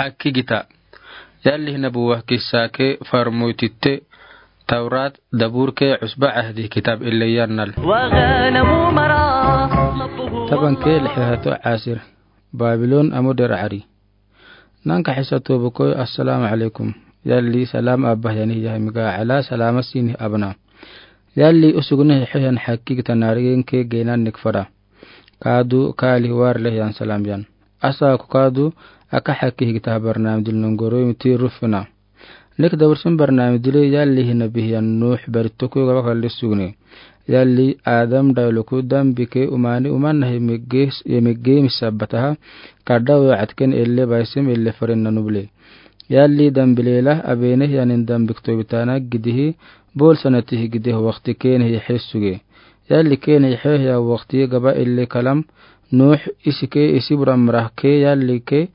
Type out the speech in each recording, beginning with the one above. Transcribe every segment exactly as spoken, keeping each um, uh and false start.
Akkigita. Yalli hinabuwa kissa ke farmoytitte Tawrat, Dabur ke Usba Ahdi kitab ille yannal. Taban ke lixato asir. Babilon amo der ari. Nanka xisa tobukoy, assalamu alaikum. Yalli salam abah yani yahmiga ala salama sini abna. Yalli usugne xeyan xakki gita narigen ke genan nikfada. Kaadu kaali war leh yan salam yan. Asa ku kaadu aka xakki gita barnam dil nungoro miti rufina. Nek dawrsin barnam dil yalli hina bihiyan Nuux baritoku gaba kalli sugne. Yalli Adam dayluku dambi ke umani uman nahi megge misabataha. Kadda we atken elle baisem elle faren nanuble. Yalli dambi lela abene yanin dambi ktobitana gidihi bol sanatihi gidihi waqti kene hi xesuge. Yalli kene hi xeya waqti gaba elle kalam Nuux isi ke isi buram rah ke yalli ke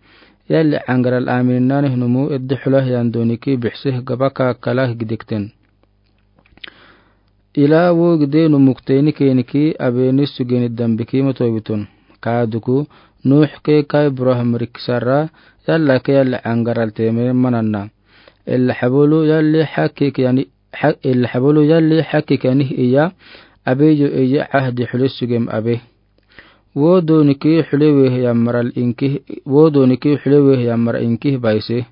yalli angaral aminani hnumu eddi xula yan doni ki bixsih gaba ka kalah gidikten. Ila wo gide numukte ni keni ki abeni sugeni dambi ki moto bitun. Kaduku Nuux ke kai Ibrahim riksara yalla ke yalla angaral teme mananna. Ella xabolu yalli xakki ke yani ella xabolu yalli xakki ke yani iya abeyo iya ahdi xule sugem abe. Wo doni ki xule we yammaral inki wo doni ki xule we yammara inki baise.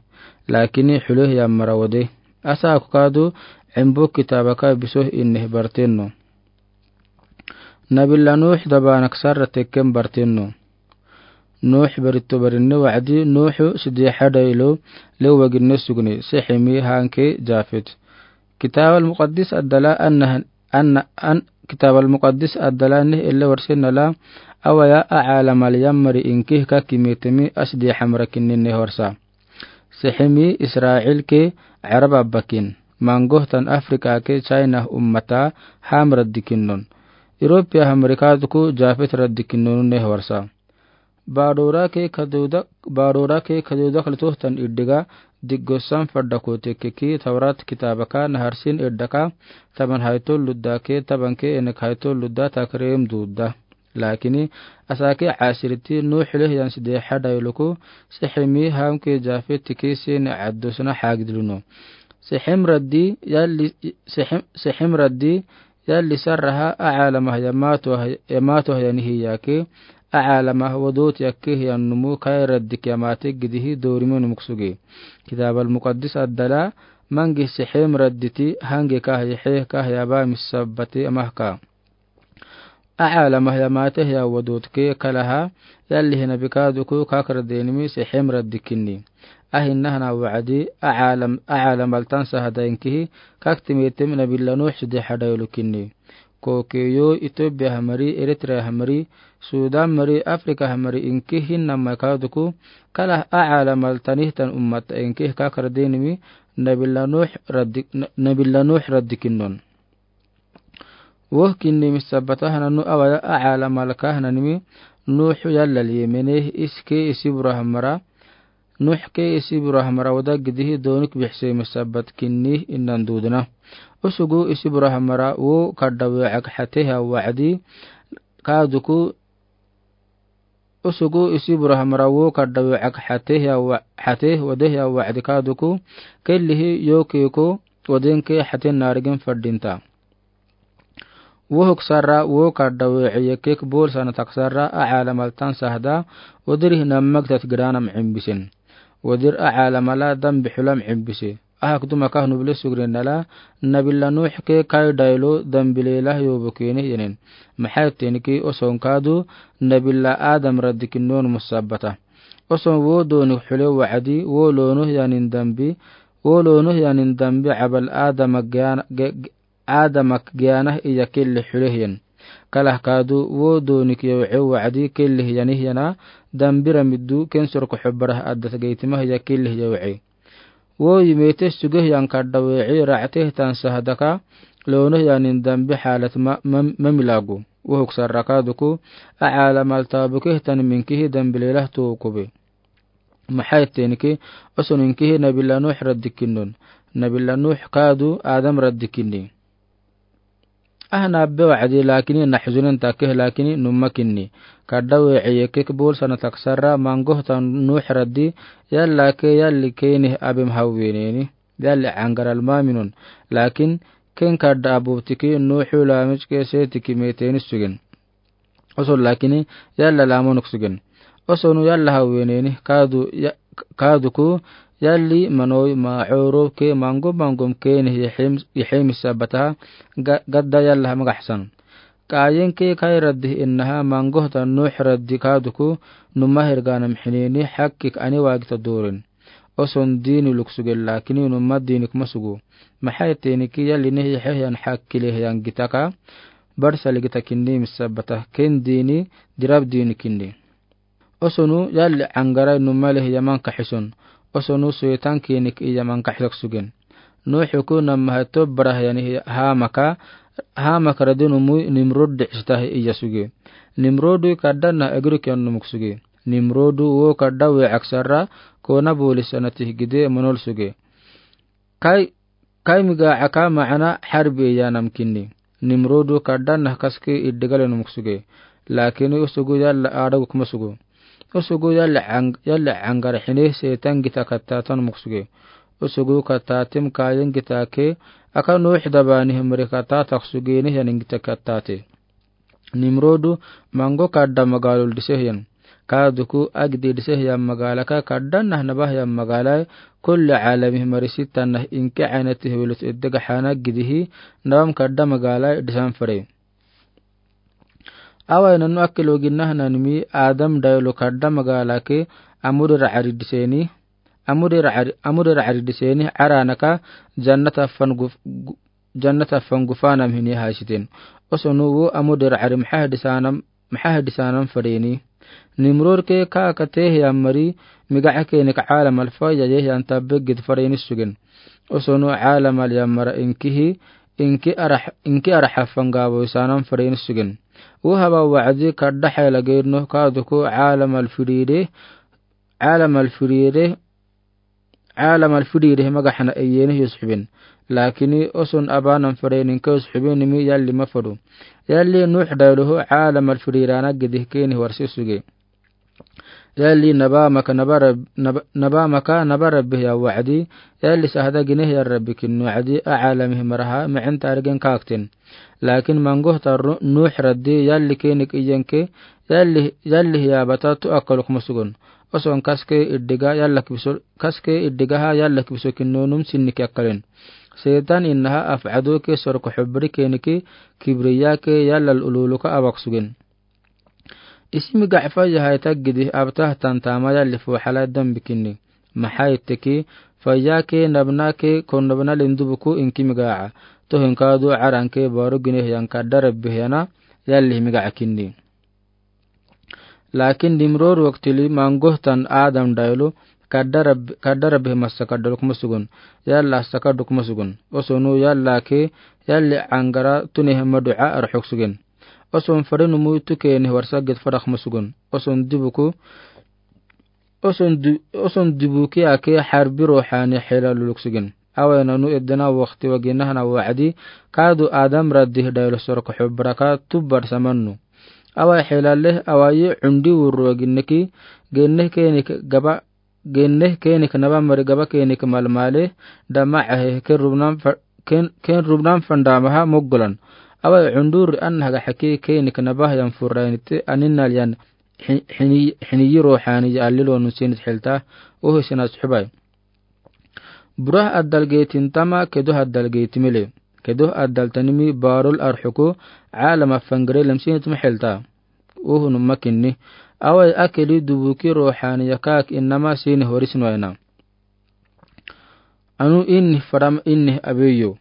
Lakini xule yammara wode. Asa ku kaadu embo kitaba ka biso inne bartenno. Nabilla Nuux dabanak sarra tekken bartenno. Nuux barito barinne wacdi Nuuxu sidi xadaylo lewaginne sugne siximi hanke Jafet. Kitab al-Muqaddis addala anna an kitab al-Muqaddis addala nih elle warsenala awaya a calamal yammari inki ka kimetemi asdi xamra kinninne horsa. Siximi Israil ke Arab abbakin. Mangohtan Afrika ke China ummata ham raddikinnon. Europia hamrikaduku Jafet raddikinnon ne horsa. Baadora ke kaduda baadora ke kaduda kalitohtan iddiga diggosan fadda kotekke ki Tawrat kitabaka naharsin iddaka taban haytol ludda ke taban ke enek haytol ludda takrem dudda. Lakini asake asiriti Nuux leh yan side xadayluku siximi hamke Jafet tiki sini caddosna xagidluno. Sixim raddi yalli sixim sixim raddi yalli sarraha a calamah yamatoh yamatoh yanihi yake a calamah wodot yakkeh yan numu kai raddik yamate gidihi dorime numuk suge. Kitab al-Muqaddis addala mangi sixim radditi hange kah yaxeh kah yaba misabbati amahka. A calamah yamate ya wodot ke kalaha yalli hina bikaduku kakra denimi sixim raddikinni. Ahinna hana wacdi a calam a calamal tan sahada inkihi kaktimetem nabilla Nuux sidi xadaylukinni. Kokeyo Ethiopia hamari Eritrea hamari Sudan mari Afrika hamari inkihi namma kaduku kalah a calamal tanihtan ummata inkih kakra denimi nabilla Nuux raddi nabilla Nuux raddikinnon. Woh kinni misabbata hananu awaya a calamalka hananimi Nuuxu yallal yemeneh iske isi burahamara Nuux ke isi burahamara wada gidihi donik bixse misabbat kinni innan dudna. Usugu isi burahamara wo kadda weecak xateh ya wacdi kaduku usugu isi burahamara wo kadda weecak xateh ya xateh wadeh ya wacdi kaduku kellihi yokeko wadenke xaten narigin fadinta. Wohuk sarra wo kadda weece yekek bol sana taksarra a calamal tan sahda wadirih nammagtat gidanam cimbisen. Wadir a calamala dambi xulam cimbise. Ahak duma kah nubli sugrinala nabilla Nuux ke kai daylo dambi lelah yobo keneh yenen. Maxay tenki oson kadu nabilla Adam raddikinnon musabbata. Oson wo donik xule wacdi wo lonoh yanin dambi wo lonoh yanin dambi cabal Adam aadamak giyanah iya kelli xuleh yen. Kalah kadu wo donik yawce wacdi kelli yanih yana dambira middu kensorko xobarah addat gaytimah iya kelli yawce. Wo yimete sugeh yan kadda weece racteh tan sahdaka lonoh yanin dambi xalat ma milagu. Wohuk sarra kaduku a calamal taabukeh tan minkihi dambi lelah tokube. Maxay tenki oson inkihi nabilla Nuux raddikinnon. Nabilla Nuux kadu Adam raddikinni. Ahna be wa'adi, lakin naxzunen take, lakin numma kinni. Kadda we'eye ke bol sana taksara, mangohtan Nuux raddi, yalla ke yalli kene abem hawweneni. Yalli angaral maminun. Lakin ken kadda abubtiki Nuuxu lamijke setiki meteni sugen. Oson lakini yalla lamonuk sugen. Osonu yalla hawweneni kadu ya-, kaduku yalli manoi ma oro ke mangom mangom kene yexem-, yexemisa bataha ga-, gadda yalla hamagaxsan. Kayen ke kai raddi innaha mangohta Nuux raddi kaduku numa herganam xineni xakkik ani wagita durin. Oson diini luk sugen lakini numa diini kuma sugu. Maxay teniki yalli ne yexehiyan xakkile hiyan gitaka. Barsali gita kinni misabata ken diini dirab diini kinni. Osonu yalli angarai numa leh yaman kaxison. Osonu soitan kinik iyaman kaxisak sugen. Nuuxuku namaha tobbara hiyani hamaka, hamaka radinumui Nimrod dicsitahi iya suge. Nimrodu kadda na agiruk yannumuk suge. Nimrodu wo kadda we aksara kona bolisanatih gide monol suge. Kai, kai miga aka ma'ana xarbi iyanam kinni. Nimrodu kadda na kaski iddigale numuk suge. Lakini usugu yalla adagu kuma sugu. Usugu yalla ang-, yalla angar xine setan gita kattata numuk suge. Usugu kattatim kayen gita ke aka Nuux dabani himri kattata kusugeni hiyanin gita kattate. Nimrodu mango kadda magalul disehiyan. Kaduku agdi disehiyan magalaka kadda nahnabahyan magalai kulli alami himri sitanah inke aynati hiwilut iddega xana gidihi nabam kadda magalai disan fare. Awai nanu akil ogin nahnanimi Adam dayulu kadda magalake amudi ra'ari diseni, amudi ra'ari, amudi ra'ari diseni aranaka jannata fan guf-, gu-, jannata fan gufanam hini haisiten. Osonu wo amudi ra'ari maxa hadisanam, maxa hadisanam fareni. Nimrod ke ka kate hiyan mari migaca kenik alam alfa yaye hiyan tabbe gid fareni sugen. Osonu alam al yamara inkihi, inki arah, inki arah afan gabo isanam fareni sugen. Wo haba wa'adi kadda xela geno kaduku alam al firide, alam al firide, alam al firide magaxana iyeni yusxubin. Lakini oson abanam fareni inke yusxubinimi yalli mafadu. Yalli Nuux dayuluhu alam al firirana gidih keni warsi suge. Yalli naba maka naba rab-, naba, naba maka naba rabbi ya wa'adi, yalli sahada gine ya rabbi kin wa'adi, a alami maraha, ma'in tarigen kaktin. Lakin mangohta Ru-, Nuux raddi, yalli kenik iyenke, yalli, yalli ya bata tu akaluk musugun. Oson kaske iddiga, yalla kibiso, kaske iddigaha, yalla kibiso kinnonum sinnik akkalin. Setan innaha af'adu ke sorko xubri keniki, kibriya ke yalla ululuka abak sugen. Isi migaca fayya hai taggidi abtah tantama yalli fuxala dambi kinni. Maxay teki fayya ke nabna ke kon nabna lindubuku inki migaca. Tohin kadu aran ke baru gine hiyan kadda rabbi hiyana yalli migaca kinni. Lakin Nimrod waktili mangohtan Adam dayulu kadda rabbi, kadda rabbi masa kadda lukuma sugun. Yalla saka dukuma sugun. Osonu yalla ke yalli angara tuni hema du'a arxuk sugun. Oson fari numu tuke ni warsa git fara kuma sugun. Oson dibuku, oson du-, oson dibuki ake xarbi ruuxani xela luluk sugun. Awai nanu edena wakti wagina hana wa'adi, kadu Adam raddi dayulu sorko xubraka tubbar samannu. Awai xela leh awai undi wurru wagineki, genne kenik gaba Genne kenik naba mari gaba kenik malmale, dama ahe ken rubnan fa-, ken, ken rubnan fandamaha moggolan. Awai undur an haga haki kenik naba yan furrainite aninal yan xi-, xini, xiniyi ruuxani ya allilonu sinit xilta, ohi sinas xubai. Burah addal geetin tama kedoh addal geeti mele. Kedoh addal tanimi barul arxuku, alama fangre lemsinit ma xilta. Uhunuma kinni. Awai akili dubuki ruuxani yakak inama sini horis noina. Anu innih faram innih abeyo.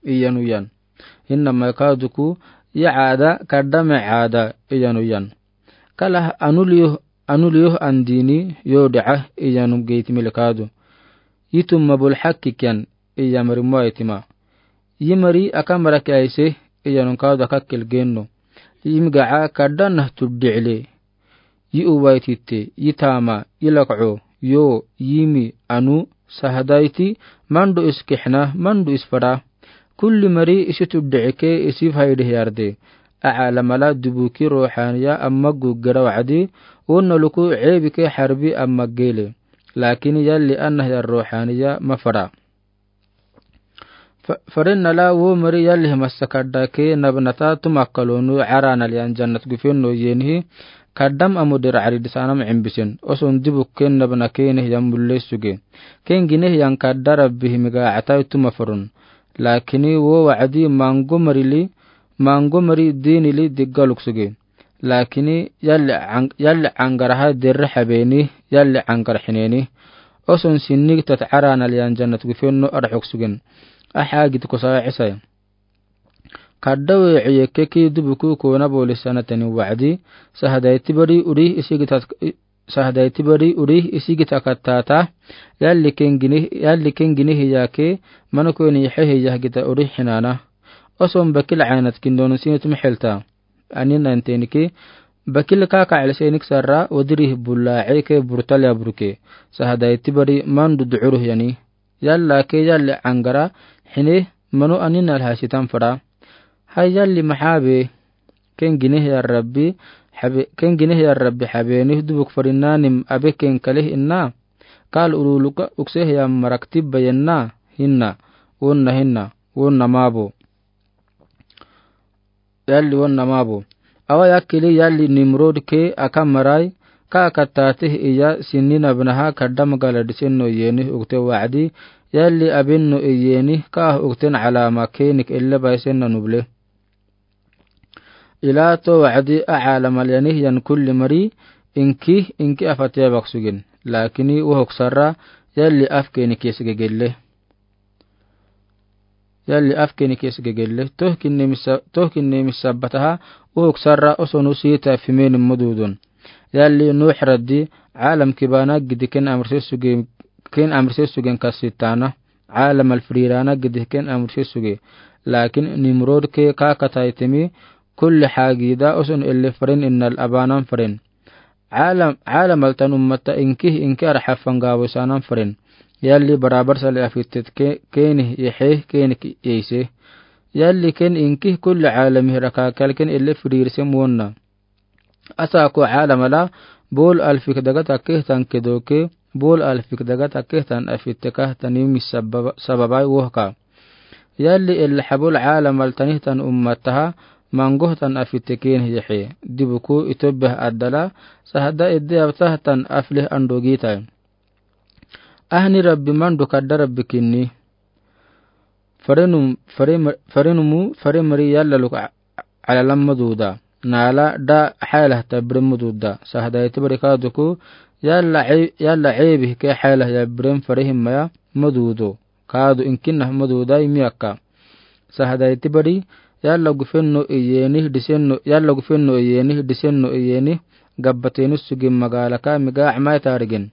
Iyanu yan. Inama kaduku ya ada kadame ada iyanu yan. Kalah anu liyo, anu liyo andini yo da'a iyanu geiti mele kadu. Yitum mabul xakki kiyan iya mari moitima. Yi mari aka maraki aise, iyanun kadu aka kilgenno. Yi migaca kadda nah tuddi'le. Yi uwaititte, yi tama, yi lak'o, yo, yimi, anu, sahadaiti, mandu is kixna, mandu is fara. Kulli mari isitu di'ike isi faidih yarde. A'alamala dubuki ruhaniya amma guggera wa'adi, wonna luku ceebike harbi amma gele. Lakin yalli anna hiyan ruhaniya mafara. Fa-, farinnala wo mari yalli himassa kadda ke nabnata tumakkalonu caranal yan jannat gufenno yenihi, kaddam amudir carid sanam cimbisen, oson dibuk ken nabna kene hiyan mulle suge. Ken gine hiyan kadda Rabbi himiga atai tuma farun. Lakini wo wa'adi mango marili, mango mari dinili diggaluk suge. Lakini yalli ang-, yalli angaraha derre habeni, yalli angar hineni. Oson sinni gitat caranal yan jannat gufenno arxuk sugen. Aha git kusa cisai. Kadda we ciyekke ki dubuku kona bolis sanatani wa'adi, sahadai tibari uri isi gitat, sahadai tibari uri isi gita kattata, yalli ken gini, yalli ken gini hiyake, manu koni he hiya gita uri hinana. Oson bakil caynat kindon sinit mixilta. Ani nan tenike, bakil ka ka cel senik sarra, wadiri bulla ceke burtal ya burke. Sahadai tibari mandu du'uruh yani. Yalla ke yalli angara, hine manu ani nal hasitan fara. Hay yalli mahabe, ken gine ya Rabbi, habe, ken gine ya Rabbi habe, nih dubuk farinanim abe ken kalih inna. Kal uruluka ukse ya marak tibba yenna, hinna, wonna hinna, wonna mabo. Yalli wonna mabo. Awa yakili yalli Nimrod ke aka marai, ka aka tatih iya sinni nabnaha kadda magala disenno yeni ukte wa'adi, yalli abenno yeni ka ukten calama kenik elle baisen na nuble. Ila to wa'adi a calamal yani yan kulli mari, inki, inki afatiya bak sugen. Lakini wohok sarra, yalli af kenik yesge gelle. Yalli af kenik yesge gelle. Toh kinne misa-, toh kinne misabbataha, wohok sarra osonu sita fimen mududun. Yalli Nuh raddi, calam kibana gidi ken amrse suge, ken amrse sugen kasitana. Calam alfrirana gidi ken amrse suge. Lakin Nimrod ke ka kataitemi, kulli hagida oson elle faren innal abanan faren. Calam, calam altan ummata inki, inki arxafan gawo sanan faren. Yalli barabar sali afittet ke-, kenih yehe, kenik yeise. Yalli ken inki kulli calami raka kalken elle frirsem wonna. Asa ko calamala, bol alfik daga takkeh tan kedoke, bol alfik daga takkeh tan afitte ka tani mis sababa-, sababai wohka. Yalli elle habol calamal tanih tan ummataha, mangoh tan afitte ken yehe. Dibuku itobeh adala, sahada edde abtah tan afleh andogitai. Ahni Rabbi mandu kadda Rabbi kinni. Farenum-, fare-, farenumu, fare mari yalla luk a-, calalam maduda. Nala da xaylah tabrim maduda. Sahadai tibari kaduku, yalla ce-, yalla cebi ke xaylah ya brim farehim maya madudo. Kadu inkinah maduda imi akka. Sahadai tibari, yalla gufenno iyeni, disenno, yalla gufenno iyeni, disenno iyeni, gabbateni sugin magalaka miga amai tarigen.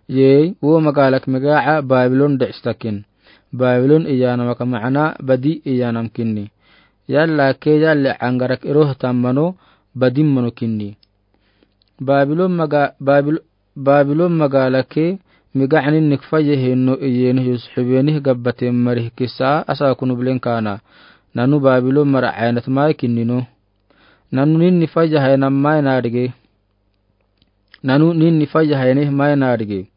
Yei, wo magalak migaca Babilon di'stakin. Babilon iyanamaka macna badi iyanam kinni. Yalla ke yalli angarak iroh tammano, badin mano kinni. Babilon maga-, Babil-, Babilon magalake migacanin nikfaya henno iyeni yusxibenih gabbaten marih kisa asa kunu blen kana. Nanu Babilon mara caynat mai kinnino. Nanu ninni faya haynam mai nadige. Nanu ninni faya haynih mai nadige.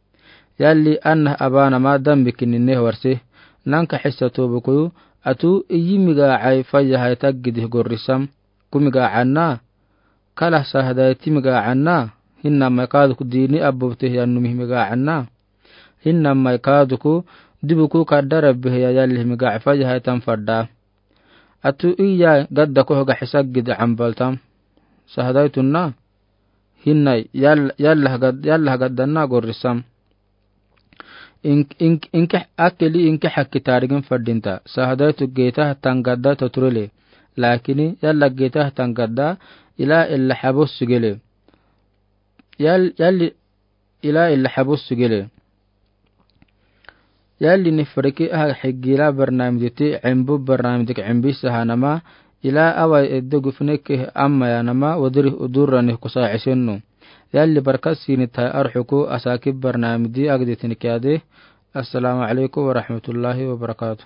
Yalli anah abanama dambi kinnineh warse. Nanka xissa tobukuyu, atu iyi migacai faya hay taggidih gorrisam. Ku migacanna. Kalah sahadai ti migacanna. Hinna mai kaduku dini abubtih yannumih migacanna. Hinna mai kaduku dibuku kadda Rabbi hiya yallih migaca faya hay tan fadda. Atu iya gadda koh gaxi saggid cambaltam. Sahadai tunna. Hinnai, yal-, yallah gad-, yallah gaddanna gorrisam. Ink-, ink-, inke akeli inke hakki tarigin fadinta. Sahadai tu geta tan gadda toturele. Lakini yalla geta tan gadda ila illa habos sugele. Yal-, yalli ila illa habus sugele. Yalli ni fariki aha xigila barnamijiti cimbu barnamijik cimbi sahanama ila awai edde gufneke amma yanama wadiri udurrani kusa cisennu. Yalli barkat sini tai arxuku asaki barnamiji agditin kiyade. Assalamu alaikum warahmatullahi wabarakatuh.